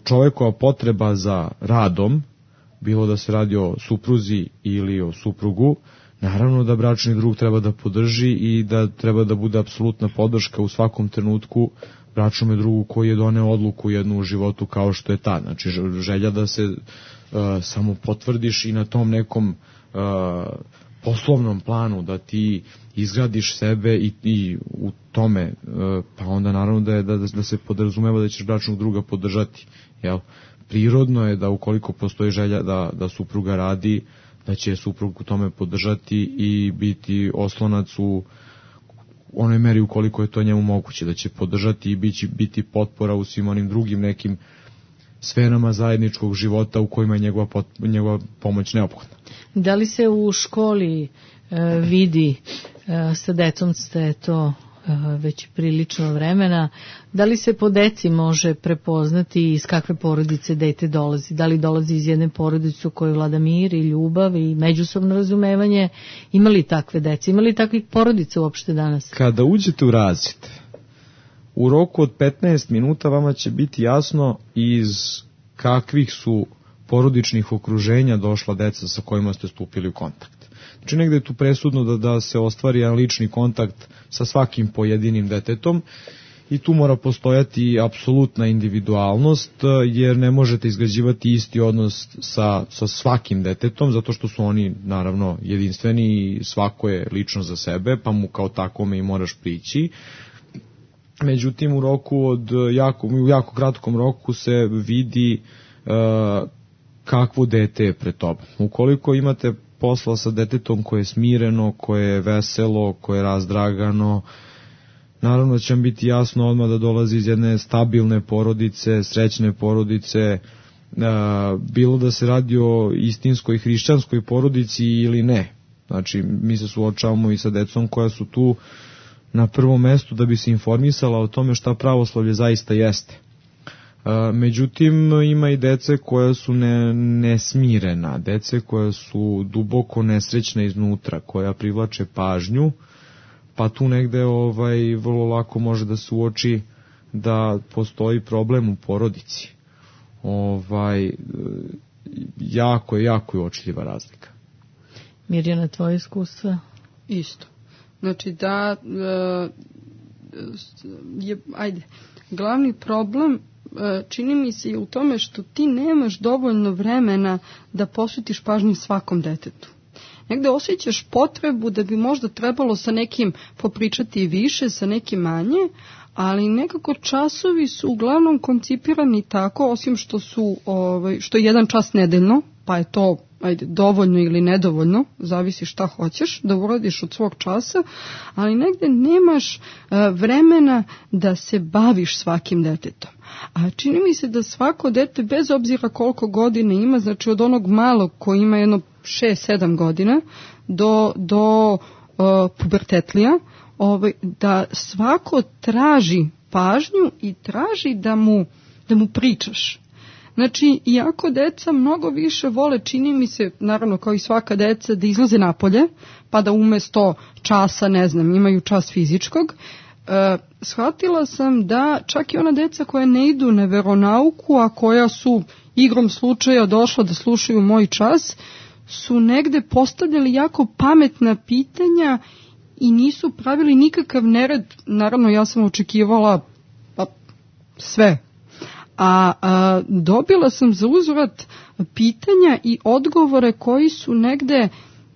čovjekova potreba za radom, bilo da se radi o supruzi ili o suprugu, naravno da bračni drug treba da podrži i da treba da bude apsolutna podrška u svakom trenutku bračnom drugu koji je doneo odluku jednu u životu kao što je ta. Znači želja da se uh, samo potvrdiš i na tom nekom uh, poslovnom planu, da ti izgradiš sebe i, i u tome, pa onda naravno da, je, da, da se podrazumeva da ćeš bračnog druga podržati. Jel? Prirodno je da ukoliko postoji želja da, da supruga radi, da će suprug u tome podržati i biti oslonac u onoj meri ukoliko je to njemu moguće, da će podržati i biti, biti potpora u svim onim drugim nekim sferama zajedničkog života u kojima je njegova, pot, njegova pomoć neophodna. Da li se u školi e, vidi, e, sa decom ste to e, već prilično vremena, da li se po deci može prepoznati iz kakve porodice dete dolazi? Da li dolazi iz jedne porodice u kojoj vlada mir i ljubav i međusobno razumevanje? Ima li takve dece? Ima li takvih porodica uopšte danas? Kada uđete u razred, u roku od petnaest minuta vama će biti jasno iz kakvih su porodičnih okruženja došla deca sa kojima ste stupili u kontakt. Znači negde je tu presudno da, da se ostvari jedan lični kontakt sa svakim pojedinim detetom i tu mora postojati apsolutna individualnost, jer ne možete izgrađivati isti odnos sa, sa svakim detetom, zato što su oni naravno jedinstveni i svako je lično za sebe, pa mu kao takome i moraš prići. Međutim, u roku od jako, u jako kratkom roku se vidi uh, kakvo dete je pred tobom. Ukoliko imate posla sa detetom koje je smireno, koje je veselo, koje je razdragano, naravno će vam biti jasno odmah da dolazi iz jedne stabilne porodice, srećne porodice, bilo da se radi o istinskoj hrišćanskoj porodici ili ne. Znači, mi se suočavamo i sa decom koja su tu na prvom mestu da bi se informisala o tome šta pravoslavlje zaista jeste. Međutim, ima i dece koja su ne, nesmirena, dece koja su duboko nesrećna iznutra, koja privlače pažnju, pa tu negde ovaj, vrlo lako može da se uoči da postoji problem u porodici. Ovaj, jako je, jako je uočljiva razlika. Mirjana, tvoje iskustva? Isto. Znači da, je, ajde, glavni problem čini mi se i u tome što ti nemaš dovoljno vremena da posvetiš pažnju svakom detetu. Negde osjećaš potrebu da bi možda trebalo sa nekim popričati više, sa nekim manje, ali nekako časovi su uglavnom koncipirani tako, osim što su ovaj, što je jedan čas nedeljno, pa je to ajde, dovoljno ili nedovoljno, zavisi šta hoćeš da uradiš od svog časa, ali negde nemaš uh, vremena da se baviš svakim detetom. A čini mi se da svako dete, bez obzira koliko godina ima, znači od onog malog koji ima jedno šest sedam godina do, do uh, pubertetlija, ovaj, da svako traži pažnju i traži da mu, da mu pričaš. Znači, iako deca mnogo više vole, čini mi se, naravno kao i svaka deca, da izlaze napolje, pa da umesto časa, ne znam, imaju čas fizičkog, e, shvatila sam da čak i ona deca koja ne idu na veronauku, a koja su igrom slučaja došla da slušaju moj čas, su negde postavljali jako pametna pitanja i nisu pravili nikakav nered. Naravno, ja sam očekivala pa, sve. A, a dobila sam za uzvrat pitanja i odgovore koji su negde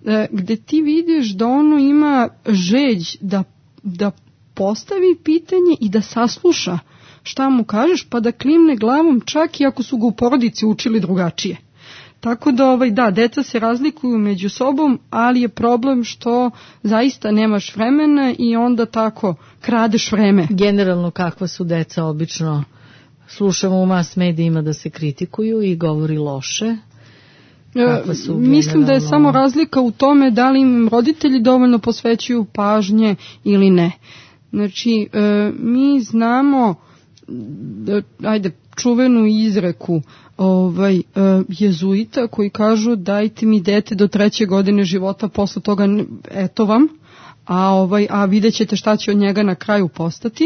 e, gde ti vidiš da ono ima žeđ da, da postavi pitanje i da sasluša šta mu kažeš, pa da klimne glavom čak i ako su ga u porodici učili drugačije. Tako da, ovaj, da, deca se razlikuju među sobom, ali je problem što zaista nemaš vremena i onda tako kradeš vreme. Generalno, kakva su deca obično? Slušamo u mass medijima da se kritikuju i govori loše. Su Mislim da je samo razlika u tome da li im roditelji dovoljno posvećuju pažnje ili ne. Znači, e, mi znamo, da, ajde, čuvenu izreku ovaj, e, jezuita koji kažu dajte mi dete do treće godine života, posle toga eto vam, a, ovaj, a vidjet ćete šta će od njega na kraju postati.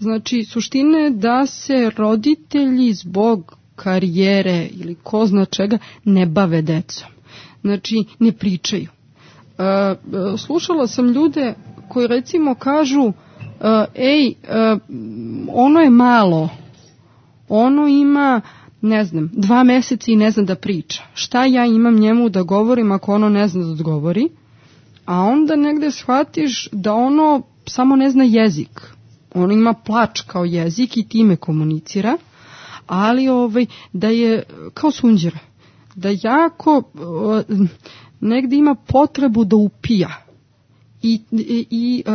Znači, suština je da se roditelji zbog karijere ili ko zna čega ne bave decom. Znači, ne pričaju. E, slušala sam ljude koji recimo kažu ej, ono je malo, ono ima, ne znam, dva meseca i ne zna da priča. Šta ja imam njemu da govorim ako ono ne zna da odgovori? A onda negde shvatiš da ono samo ne zna jezik. Ono ima plač kao jezik i time komunicira, ali ovaj, da je kao sunđera, da jako negde ima potrebu da upija. I, i, i uh,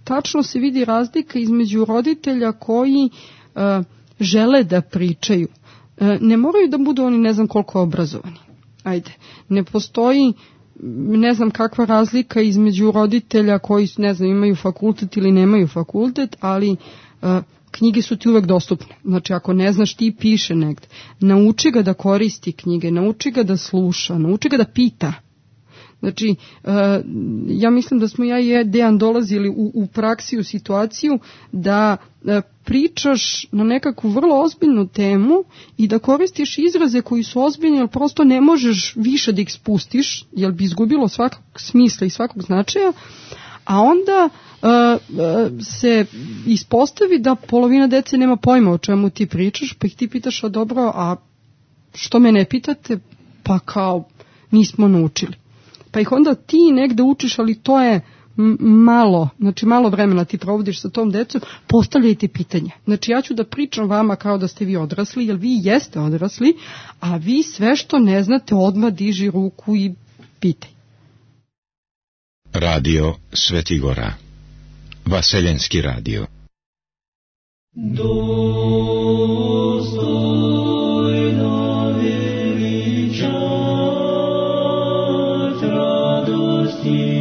tačno se vidi razlika između roditelja koji uh, žele da pričaju. Uh, ne moraju da budu oni ne znam koliko obrazovani. Ajde, ne postoji ne znam kakva razlika između roditelja koji ne znam imaju fakultet ili nemaju fakultet, ali uh, knjige su ti uvek dostupne. Znači ako ne znaš ti piše negde. Nauči ga da koristi knjige, nauči ga da sluša, nauči ga da pita. Znači, ja mislim da smo ja i Dejan dolazili u, u praksi, u situaciju da pričaš na nekakvu vrlo ozbiljnu temu i da koristiš izraze koji su ozbiljni, jer prosto ne možeš više da ih spustiš, jer bi izgubilo svakog smisla i svakog značaja, a onda uh, uh, se ispostavi da polovina dece nema pojma o čemu ti pričaš, pa ih ti pitaš, a dobro, a što me ne pitate? Pa kao, nismo naučili. Pa ih onda ti negde učiš, ali to je malo, znači malo vremena ti provodiš sa tom decom, postavljajte pitanje. Znači ja ću da pričam vama kao da ste vi odrasli, jer vi jeste odrasli, a vi sve što ne znate odmah diži ruku i pitaj. Radio Svetigora, Vaseljenski radio. Dostojno veličat radosti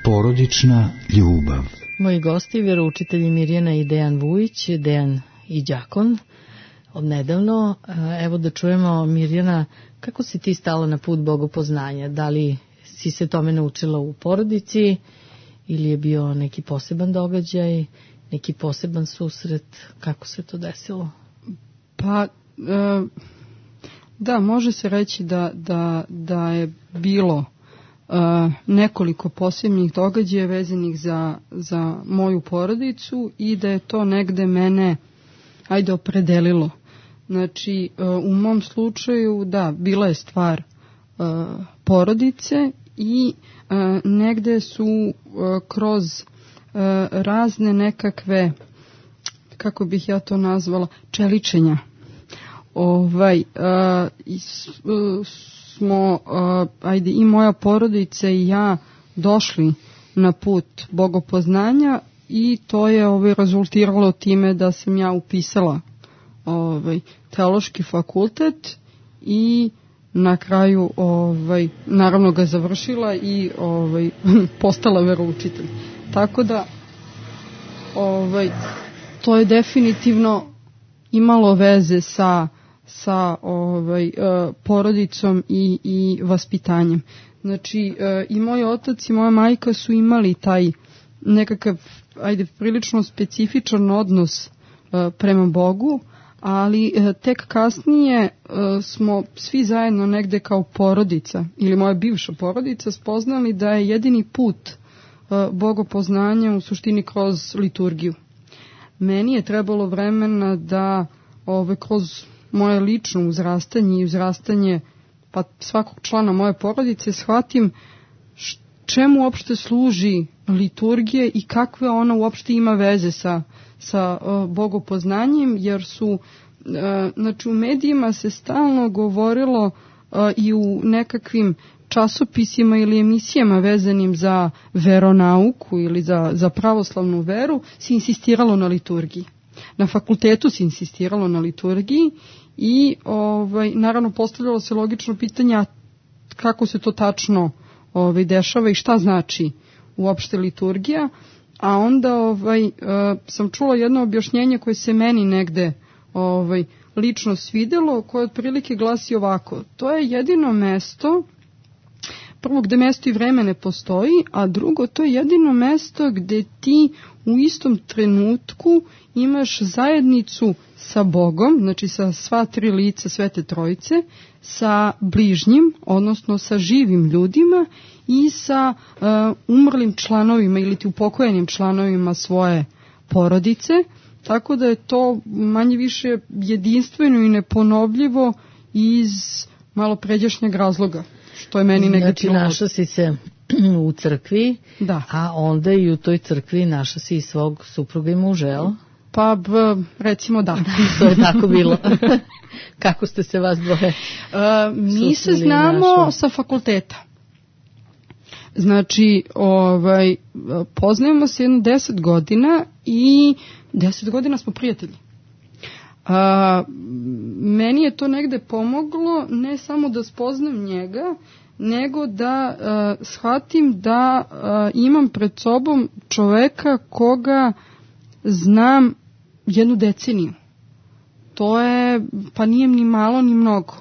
Porodična ljubav. Moji gosti, vjeroučitelji Mirjana i Dejan Vujić, Dejan i đakon. Odnedavno, evo da čujemo, Mirjana, kako si ti stala na put bogopoznanja? Da li si se tome naučila u porodici ili je bio neki poseban događaj, neki poseban susret? Kako se to desilo? Pa, da, može se reći da, da, da je bilo Uh, nekoliko posebnih događaja vezanih za, za moju porodicu i da je to negde mene, ajde, opredelilo. Znači, uh, u mom slučaju, da, bila je stvar uh, porodice i uh, negde su uh, kroz uh, razne nekakve, kako bih ja to nazvala, čeličenja. Ovaj, uh, is, uh, smo, uh, ajde, i moja porodica i ja došli na put bogopoznanja i to je ovaj, rezultiralo time da sam ja upisala ovaj, teološki fakultet i na kraju ovaj, naravno ga završila i ovaj, postala veroučitelj. Tako da ovaj, to je definitivno imalo veze sa, sa ovaj, porodicom i, i vaspitanjem. Znači i moj otac i moja majka su imali taj nekakav, ajde, prilično specifičan odnos prema Bogu, ali tek kasnije smo svi zajedno negde kao porodica ili moja bivša porodica spoznali da je jedini put bogopoznanja u suštini kroz liturgiju. Meni je trebalo vremena da ove, kroz moje lično uzrastanje i uzrastanje pa svakog člana moje porodice shvatim čemu uopšte služi liturgija i kakve ona uopšte ima veze sa, sa uh, bogopoznanjem, jer su uh, znači u medijima se stalno govorilo uh, i u nekakvim časopisima ili emisijama vezanim za veronauku ili za, za pravoslavnu veru se insistiralo na liturgiji. Na fakultetu se insistiralo na liturgiji i ovaj, naravno postavljalo se logično pitanje kako se to tačno ovaj, dešava i šta znači uopšte liturgija, a onda ovaj, uh, sam čula jedno objašnjenje koje se meni negde ovaj, lično svidelo, koje otprilike glasi ovako: to je jedino mesto, prvo gde mesto i vreme ne postoji, a drugo to je jedino mesto gde ti u istom trenutku imaš zajednicu sa Bogom, znači sa sva tri lica Svete Trojice, sa bližnjim, odnosno sa živim ljudima i sa uh, umrlim članovima ili ti upokojenim članovima svoje porodice, tako da je to manje više jedinstveno i neponovljivo iz malo pređašnjeg razloga, što je meni negdje znači, pilot. Našla si se u crkvi, da. A onda i u toj crkvi našla si i svog supruga i muža, jel? Pa, b, recimo da. To je tako bilo. Kako ste se vas dvoje? Uh, mi se znamo našo. Sa fakulteta. Znači, ovaj, poznajemo se jedno deset godina i deset godina smo prijatelji. Uh, meni je to negde pomoglo, ne samo da spoznam njega, nego da uh, shvatim da uh, imam pred sobom čoveka koga znam jednu deceniju. To je, pa nije ni malo ni mnogo.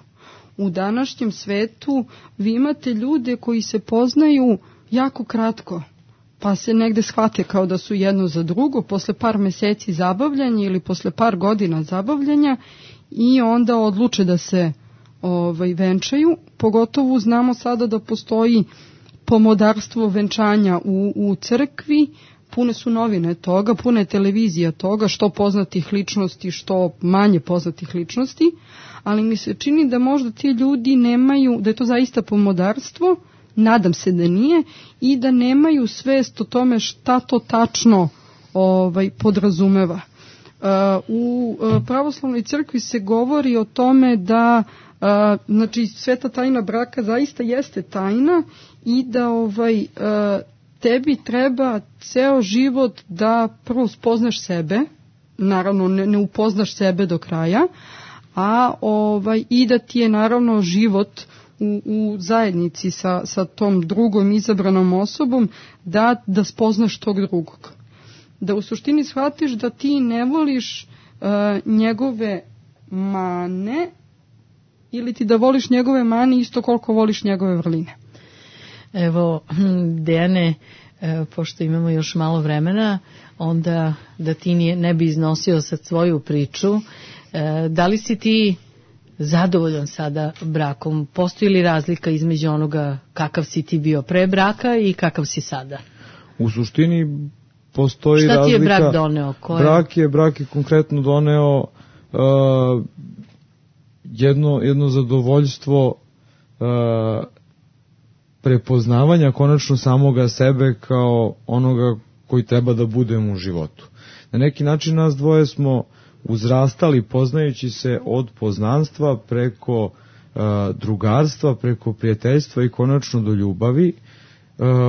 U današnjem svetu vi imate ljude koji se poznaju jako kratko, pa se negde shvate kao da su jedno za drugo, posle par meseci zabavljanja ili posle par godina zabavljanja i onda odluče da se ovaj, venčaju. Pogotovo znamo sada da postoji pomodarstvo venčanja u, u crkvi, pune su novine toga, pune je televizija toga, što poznatih ličnosti, što manje poznatih ličnosti, ali mi se čini da možda ti ljudi nemaju, da je to zaista pomodarstvo, nadam se da nije, i da nemaju svest o tome šta to tačno ovaj, podrazumeva. Uh, u uh, pravoslavnoj crkvi se govori o tome da uh, znači sveta tajna braka zaista jeste tajna i da ovaj uh, tebi treba ceo život da prvo spoznaš sebe, naravno ne, ne upoznaš sebe do kraja, a ovaj i da ti je naravno život u, u zajednici sa, sa tom drugom izabranom osobom da, da spoznaš tog drugog. Da u suštini shvatiš da ti ne voliš uh, njegove mane ili ti da voliš njegove mane isto koliko voliš njegove vrline. Evo, Dejane, pošto imamo još malo vremena, onda da ti ne bi iznosio sad svoju priču, da li si ti zadovoljan sada brakom? Postoji li razlika između onoga kakav si ti bio pre braka i kakav si sada? U suštini postoji razlika. Šta ti je brak doneo? Koje? Brak je, brak je konkretno doneo uh, jedno, jedno zadovoljstvo uh, prepoznavanja konačno samoga sebe kao onoga koji treba da budemo u životu. Na neki način nas dvoje smo uzrastali poznajući se od poznanstva preko uh, drugarstva, preko prijateljstva i konačno do ljubavi.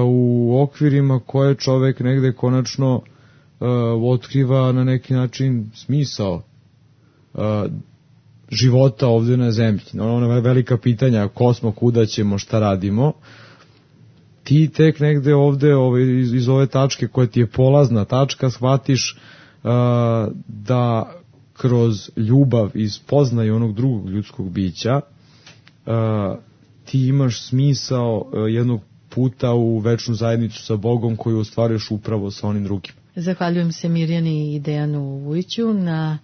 u okvirima koje čovek negde konačno otkriva na neki način smisao života ovde na zemlji. Ona velika pitanja, ko smo, kuda ćemo, šta radimo, ti tek negde ovde ove, iz, iz ove tačke koja ti je polazna tačka shvatiš uh, da kroz ljubav i spoznaju onog drugog ljudskog bića uh, ti imaš smisao uh, jednog puta u večnu zajednicu sa Bogom koju ostvaruješ upravo sa onim drugim. Zahvaljujem se Mirjani i Dejanu Vujiću na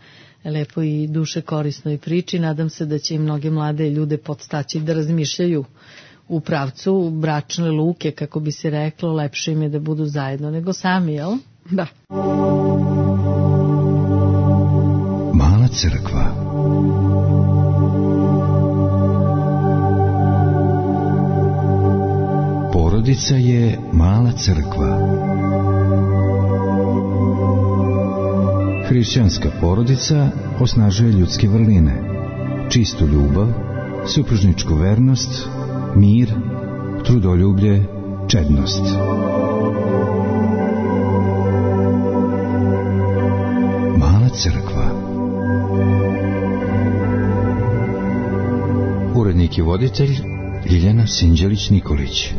lepoj i duše korisnoj priči. Nadam se da će i mnoge mlade ljude podstaći da razmišljaju u pravcu bračne luke, kako bi se reklo, lepše im je da budu zajedno nego sami, jel? Da. Mala crkva. Porodica je mala crkva. Hrišćanska porodica osnažuje ljudske vrline, čistu ljubav, supružničku vernost, mir, trudoljublje, čednost. Mala crkva. Urednik i voditelj Ljiljana Sinđelić-Nikolić.